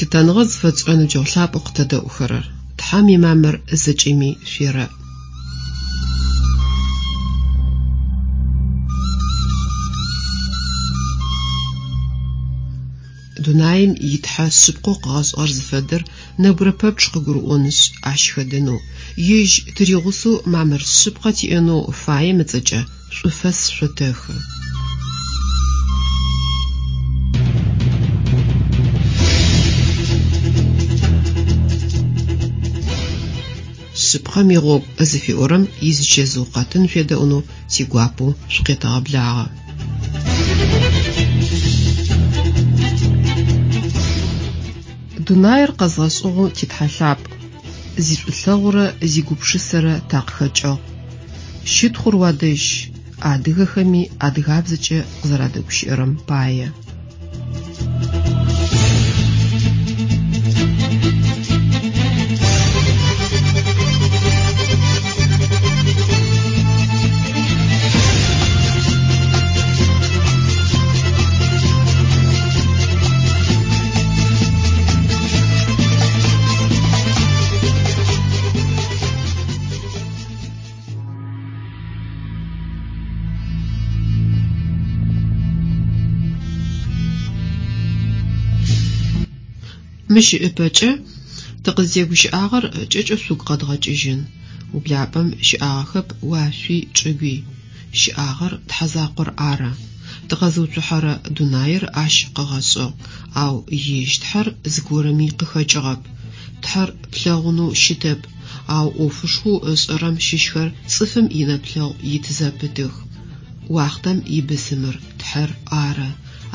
Лъытэныгъэ зыфэтшӏырэ ныбджэгъу лъапӏэу къытэдэӏухэрэр! Тхьэм имамыр зэкӏэми шъуерэӏ. Дунаим и Тхьэ шъыпкъэу къыгъэшӏыгъэр зыфэдэр нэбгырэ пэпчъ къыгурыӏонышъ, ащ хэдэнэу, ежь тыригъусэу мамыр шъыпкъэ тиӏэнэу фаем ыцӏэкӏэ шӏуфэс шъотэхы. Шъыпкъэм игъогу зыфиӏорэм изычэзыу къэтын шъуедэӏунэу тигуапэу шъукъетэгъэблагъэ. Дунаир къэзгъэшӏыгъэу ти Тхьэ лъапӏ, зишӏулъэгъурэ зигупшысэрэ такъыхэкӏыгъ. Щытхъур уадэжь, адыгэхэми адыгабзэкӏэ къызэрадэгущыӏэрэм пае. Мыщ ыпэкӏэ тыкъызтегущыӏагъэр кӏэкӏэу шъугу къэдгъэкӏыжьын. Ублапӏэм щыӏагъэхэп уашъуи чӏыгуи. Щыӏагъэр Тхьэ закъор ары. Тыкъэзыуцухьэрэ дунаир ащ къыгъэшӏыгъ, ау ежь Тхьэр зыгорэми къыхэкӏыгъэп. Тхьэр плъэгъунэу щытэп, ау ӏофышхоу ышӏэрэм щыщхэр цӏыфым инэплъэгъу ит зэпытых. Уахътэм ибысымыр Тхьэр ары,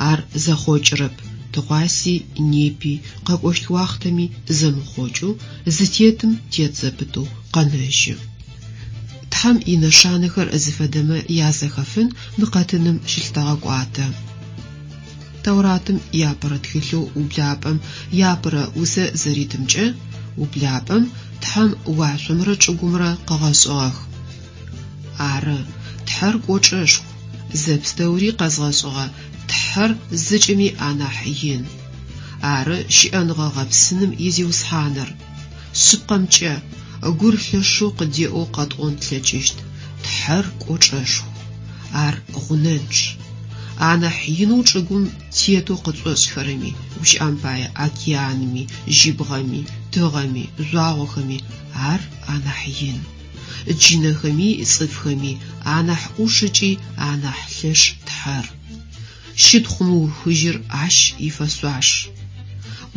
ар зэхъокӏырэп, тыгъуаси, непи, къэкӏощт уахътэми зэмыхъокӏэу, зытетым тет зэпытэу къэнэжьы. Тхьэм инэшанэхэр зыфэдэмэ язэхэфын мы къэтыным щылъытэгъэкӏуатэ. Тауратым иапэрэ тхылъэу Ублапӏэм иапэрэ усэ зэритымкӏэ, Ублапӏэм Тхьэм уашъомрэ чӏыгумрэ къыгъэшӏыгъэх. Ары, Тхьэр кӏочӏэшху, зэпстэури къэзгъэшӏыгъэ Тхьэр зэкӏэми анахь ин. Ары щыӏэныгъэ гъэпсыным и Зиусхьаныр. Шъыпкъэмкӏэ, гур лъэшэу къыдеӏэу къэтӏон тлъэкӏыщт, Тхьэр кӏочӏэшху. Ар гъунэнчъ. Анахь инэу чӏыгум тетэу къытшӏошӏхэрэми, гущыӏэм пае, океанми, жьыбгъэми, тыгъэми, жъуагъохэми ар анахь ин. Джынэхэми цӏыфхэми анахь ӏуш ыкӏи анахь лъэш Тхьэр. Щытхъу мыухыжьыр ащ ифэшъуаш.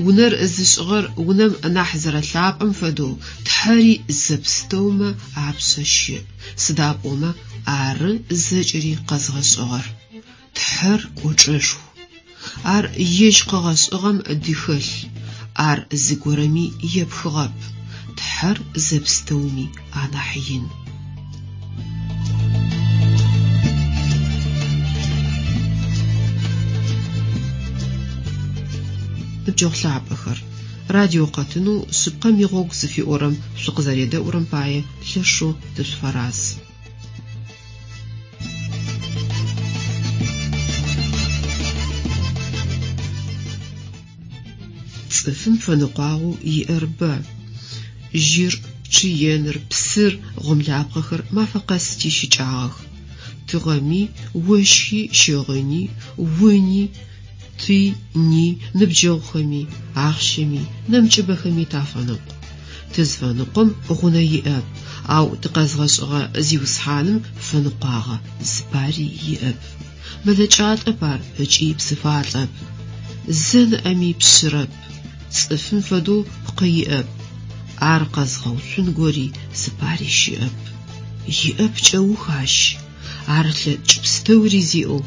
Унэр зышӏыгъэр унэм нахь зэрэлъапӏэм фэдэу Тхьэри зэпстэумэ апшъэ щыӏ, сыда пӏомэ ары зэкӏэри къэзгъэшӏыгъэр. Тхьэр кӏочӏэшху. Ар ежь къыгъэшӏыгъэм дыхэлъ, ар зыгорэми епхыгъэп. Тхьэр зэпстэуми анахь ин. Ныбджэгъу лъапӏэхэр, радиокъэтынэу Шъыпкъэм игъогу зыфиӏорэм шъукъызэредэӏурэм пае лъэшэу тышъуфэраз. Цӏыфым фэныкъуагъэу иӏэр бэ. Жьыр, чъыеныр, псыр, гъомлапхъэхэр мафэ къэс тищыкӏагъэх. Тыгъэми, ощхи, щыгъыни, уни, ти, ни, ныбджэгъухэми, ахъщэми, нэмыкӏыбэхэми тафэныкъу. Тызфэныкъом гъунэ иӏэп, ау тыкъэзгъэшӏыгъэ Зиусхьаным фэныкъуагъэ зыпари иӏэп. Мэлэкӏалӏэп ар ыкӏи псыфалӏэп. Зэ ныӏэми пшъырэп, цӏыфым фэдэу пкъы иӏэп. Ар къэзгъэуцун гори зыпари щыӏэп. Иӏэп кӏэух ащ. Ар лъэкӏ пстэури зиӏэу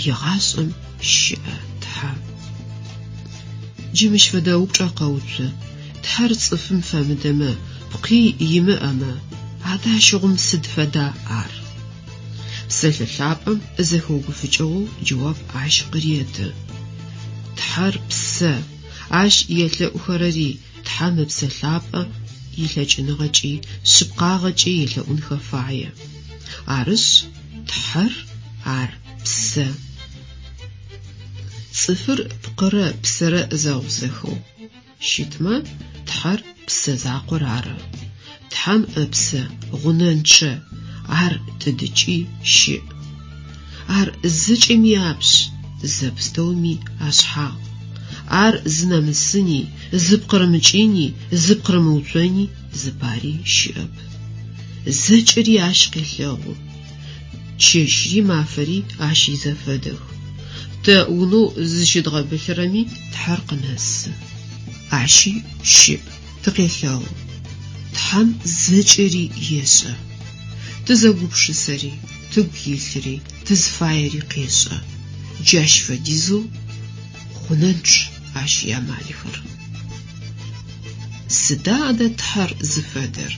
егъашӏэм щыӏэ Тхьэ. Джы мыщ фэдэ упчӏэ къэуцу, Тхьэр цӏыфым фэмыдэмэ, пкъи имыӏэмэ, адэ ащыгъум сыд фэда ар? Псэлъэ лъапӏэм зэхэугуфыкӏыгъэу джэуап ащ къыреты. Тхьэр псэ, ащ елъэӏухэрэри Тхьэм Ыпсэ Лъапӏэ илъэкӏыныгъэкӏи шъыпкъагъэкӏи елъэӏунхэ фае. Арышъ, Тхьэр ар псэ. Цӏыфыр пкъырэ псэрэ зэгъусэхэу. щытмэ, Тхьэр Псэ закъор ары. Тхьэм Ыпсэ гъунэнчъэ, ар тыдыкӏи щыӏ. Ар зэкӏэми апшъ, зэпстэуми ашъхьагъ. Ар зынэмысыни, зыпкъырымыкӏыни, зыпкъырымыуцони зыпари щыӏэп. Зэкӏэри ащ къелъэгъу. Чэщри мафэри ащ изэфэдэх. Тэ унэу зызщыдгъэбылъырэми Тхьэр къынэсы. Ащи щыӏ, тыкъелъэгъу. Тхьэм зэкӏэри ешӏэ. Тызэгупшысэри, тыгу илъыри, тызфаери къешӏэ. Джащ фэдизэу гъунэнчъ ащ иамалхэр. Сыда адэ Тхьэр зыфэдэр?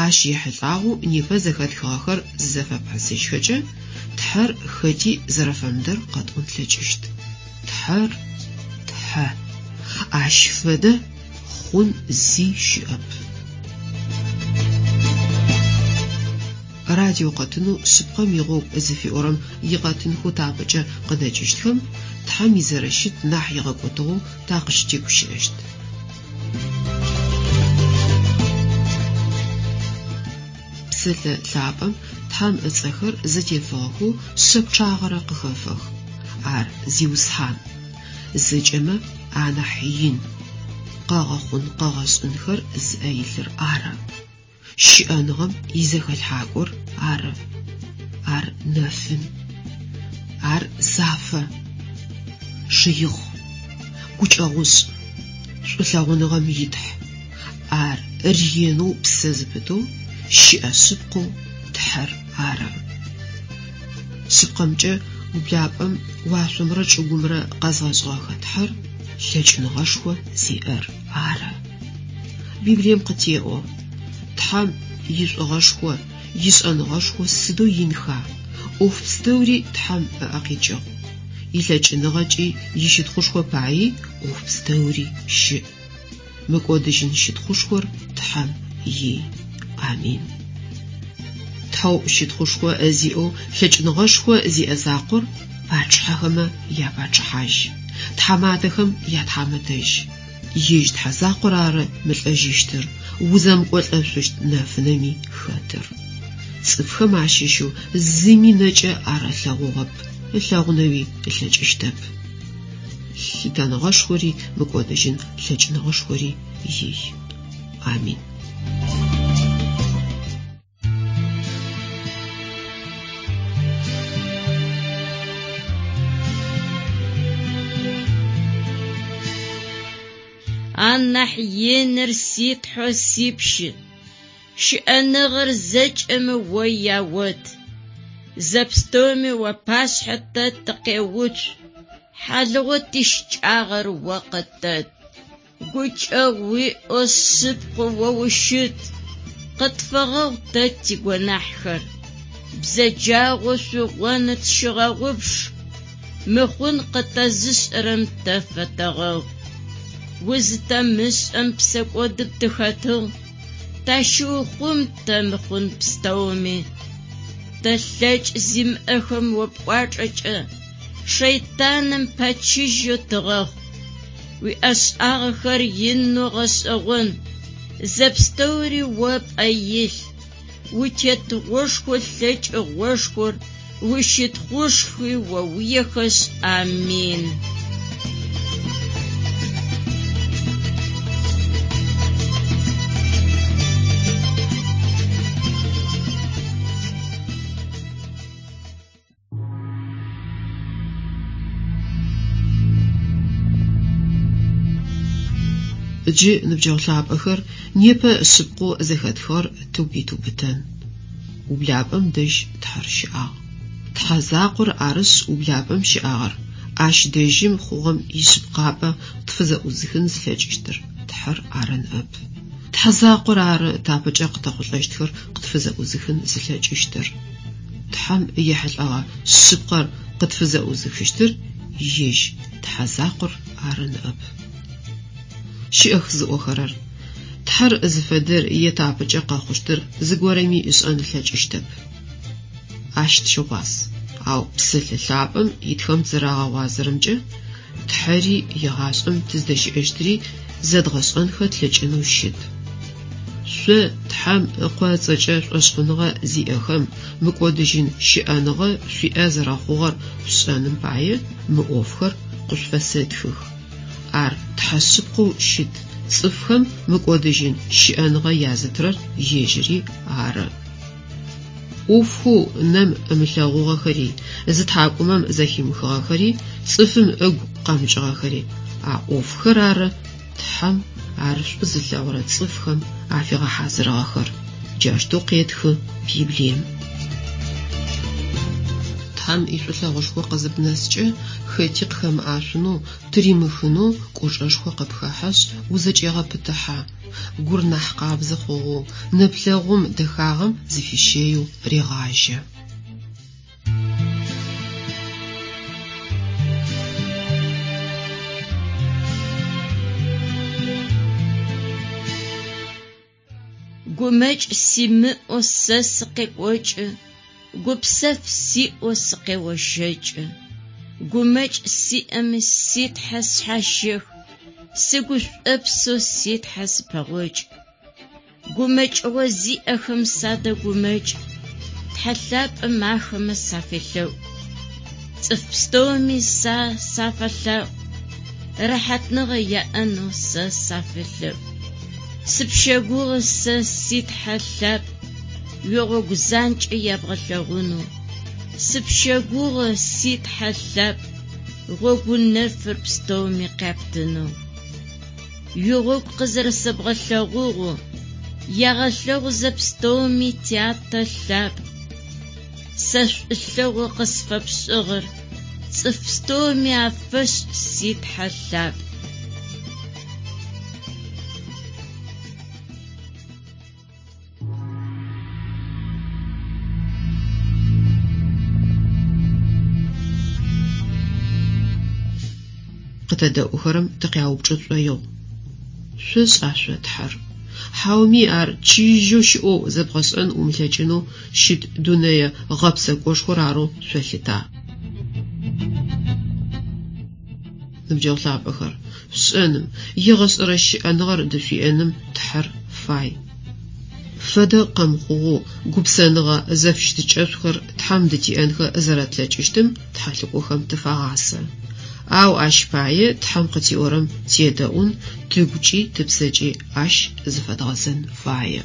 Ащ ехьылӏагъэу непэ зэхэтхыгъэхэр зызэфэпхьысыжьхэкӏэ, Тхьэр хэти зэрэфэмыдэр къэтӏон тлъэкӏыщт. Тхьэр, Тхьэ. Ащ фэдэ хъун зи щыӏэп. Радиокъэтынэу Шъыпкъэм игъогу зыфиӏорэм икъэтынхэу тапэкӏэ къыдэкӏыщтхэм Тхьэм изэрэщыт нахь игъэкӏотыгъэу такъыщытегущыӏэщт. Псэлъэ лъапӏэм Тхьэм ыцӏэхэр зэтефыгъэхэу шъэ пчъагъэрэ къыхэфэх. Ар Зиусхьан, зэкӏэмэ анахь ин, къэгъэхъун-къэгъэшӏынхэр зыӏэ илъыр ары. Щыӏэныгъэм изэхэлъхьакӏор ары. Ар нэфын. Ар зафэ. Шыихъ. Гукӏэгъушӏ. Шӏулъэгъуныгъэм и Тхь. Ар ренэу псэ зыпытэу, щыӏэ шъыпкъэу Тхьэр ары. Шъыпкъэмкӏэ, ублапӏэм уашъомрэ чӏыгумрэ къэзгъэшӏыгъэхэ Тхьэр лъэкӏыныгъэшхо зиӏэр ары. Библием къытеӏо, Тхьэм ишӏугъэшхо, ишӏэныгъэшхо сыдэу инха! ӏоф пстэури Тхьэм ыӏэ къикӏыгъ. Илъэкӏыныгъэкӏи ищытхъушхо паий ӏоф пстэури щыӏ. Мыкӏодыжьын щытхъушхор Тхьэм ий. Амин. Тхьэу щытхъушхо зиӏэу лъэкӏыныгъэшхо зиӏэ закъор пачъыхьэхэмэ япачъыхьажь, тхьаматэхэм ятхьамэтэжь. Ежь Тхьэ закъор ары мылӏэжьыщтыр, узэмыкӏолӏэшъущт нэфынэми хэтыр. Цӏыфхэм ащыщэу зыми нэкӏэ ар ылъэгъугъэп, ылъэгъунэуи ылъэкӏыщтэп. Лъытэныгъэшхори мыкӏодыжьын лъэкӏыныгъэшхори ий. Амин. Анахь иныр си Тхьэу сипщы, Щыӏэныгъэр зэкӏэмэ о яот. Зэпстэуми уапашъхьэ тэ тыкъеуцу, Хьалыгъоу тищыкӏагъэр о къытэт. Гукӏэгъу уиӏэу шъыпкъэу о ущыт, Къытфэгъэгъу тэ тигонахьхэр. Бзэджагъэу шъугъоныр тщыгъэгъупш, Мыхъун къытэзышӏэрэм тэ фэтэгъэгъу. Узытэмышӏэм псэкӏодым тыхэтыгъ, Тащыухъум тэ мыхъун пстэуми. Тэ лъэкӏ зимыӏэхэм о пкӏуачӏэкӏэ Шэйтаным пэчыжьэу тыгъэхъу. Уиӏэшӏагъэхэр инэу гъэшӏэгъон, Зэпстэури о пӏэ илъ. Утетыгъошхо лъэкӏыгъошхор, Ущытхъушхуи о уиехэшъ, Амин. Джы, ныбджэгъу лъапӏэхэр, непэ шъыпкъэу зэхэтхыгъэр тыгу итыубытэн. Ублапӏэм дэжь Тхьэр щыӏагъ. Тхьэ закъор арышъ ублапӏэм щыӏагъэр, ащ дэжьым хъугъэм ишъыпкъапӏэ къытфызэӏузыхын зылъэкӏыщтыр Тхьэр ары ныӏэп. Тхьэ закъор ары тапэкӏэ къытэхъулӏэщтхэр къытфызэӏузыхын зылъэкӏыщтыр. Тхьэм ехьылӏэгъэ шъыпкъэр къытфызэӏузыхыщтыр ежь Тхьэ закъор ары ныӏэп. Щыӏэх зыӏохэрэр, Тхьэр зыфэдэр е тапэкӏэ къэхъущтыр зыгорэми ышӏэн ылъэкӏыщтэп. Ащ тыщыгъуаз. Ау Псэлъэ лъапӏэм итхэм тызэрагъэгъуазэрэмкӏэ, Тхьэри егъашӏэм тыздэщыӏэщтри зэдгъэшӏэнхэ тлъэкӏынэу щыт. Шъо Тхьэм Ыкъо ыцӏэкӏэ шӏошъхъуныгъэ зиӏэхэм мыкӏодыжьын щыӏэныгъэ шъуиӏэ зэрэхъугъэр шъушӏэным пае мы ӏофхэр къышъуфэсэтхых. Ар Тхьэ шъыпкъэу щыт, цӏыфхэм мыкӏодыжьын щыӏэныгъэ язытырэр ежьыри ары. ӏофхэу нэм ымылъэгъугъэхэри, зы тхьакӏумэм зэхимыхыгъэхэри, цӏыфым ыгу къэмыкӏыгъэхэри, а ӏофхэр ары Тхьэм ар шӏу зылъэгъурэ цӏыфхэм афигъэхьазырыгъэхэр. Джаущтэу къетхы Библием. Тхьэм ишӏулъэгъушхо къызыбнэскӏэ, хэти къыхэмыӏашъунэу, тыримыхынэу кӏочӏэшхо къыпхэхьэшъ, узэкӏегъэпытыхьэ. Гур нахь къабзэ хъугъэу, нэплъэгъум дэхагъэм зыфищэеу регъажьэ. Гумэкӏ симыӏэу сэ сыкъекӏокӏы, гупсэф сиӏэу сыкъеощэкӏы. Гумэкӏ сиӏэми си Тхьэ сшъхьащех, сыгушӏопсэу си Тхьэ сыпэгъокӏ. Гумэкӏыгъо зиӏэхэм садэгумэкӏ, Тхьэ лъапӏэм ахэмэ сафелъэӏу. Цӏыф пстэуми сэ сафэлъаӏу, рэхьатныгъэ яӏэнэу сэ сафелъэӏу. Сыпщэгугъы сэ си Тхьэ лъапӏ, уигъогу занкӏэ ябгъэлъэгъунэу. Сыпщэгугъы си Тхьэ лъапӏ, гъогу нэфыр пстэуми къяптынэу. Уигъогу къызэрэсэбгъэлъэгъугъэу, ягъэлъэгъу зэпстэуми Тятэ лъапӏ. Сэ шӏулъэгъу къысфэпшӏыгъэр цӏыф пстэуми афэшӏ си Тхьэ лъапӏ. Къытэдэӏухэрэм тыкъяупчӏы тшӏоигъу. Шъошӏа шъо Тхьэр? Хьауми ар чыжьэу щыӏэу зэбгъэшӏэн умылъэкӏынэу щыт дунэе гъэпсэкӏошхор арэу шъолъыта? Ныбджэгъу лъапӏэхэр, шъушӏэным, егъэшӏэрэ щыӏэныгъэр дышъуиӏэным Тхьэр фай. Фэдэ къэмыхъугъэу гупсэныгъэ зэфыщытыкӏэшӏухэр Тхьэм дытиӏэнхэ зэрэтлъэкӏыщтым тхьэлӏыкӏохэм тыфагъасэ. Ау ащ пае Тхьэм къытиӏорэм тедэӏун, тыгукӏи тыпсэкӏи ащ зыфэдгъэзэн фае.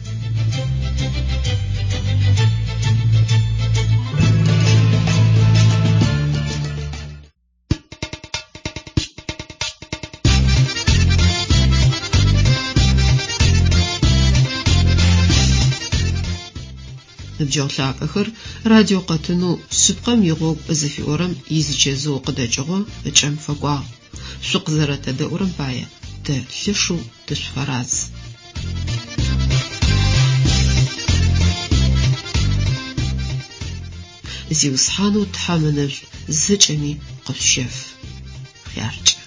Ныбджэгъу лъапӏэхэр, радиокъэтынэу Шъыпкъэм игъогу зыфиӏорэм изычэзыу къыдэкӏыгъо ыкӏэм фэкӏуагъ. Шъукъызэрэтэдэӏурэм пае тэ лъэшэу тышъуфэраз. Зиусхьанэу Тхьэм ынэшӏу зэкӏэми къышъущэф. Хъяркӏэ.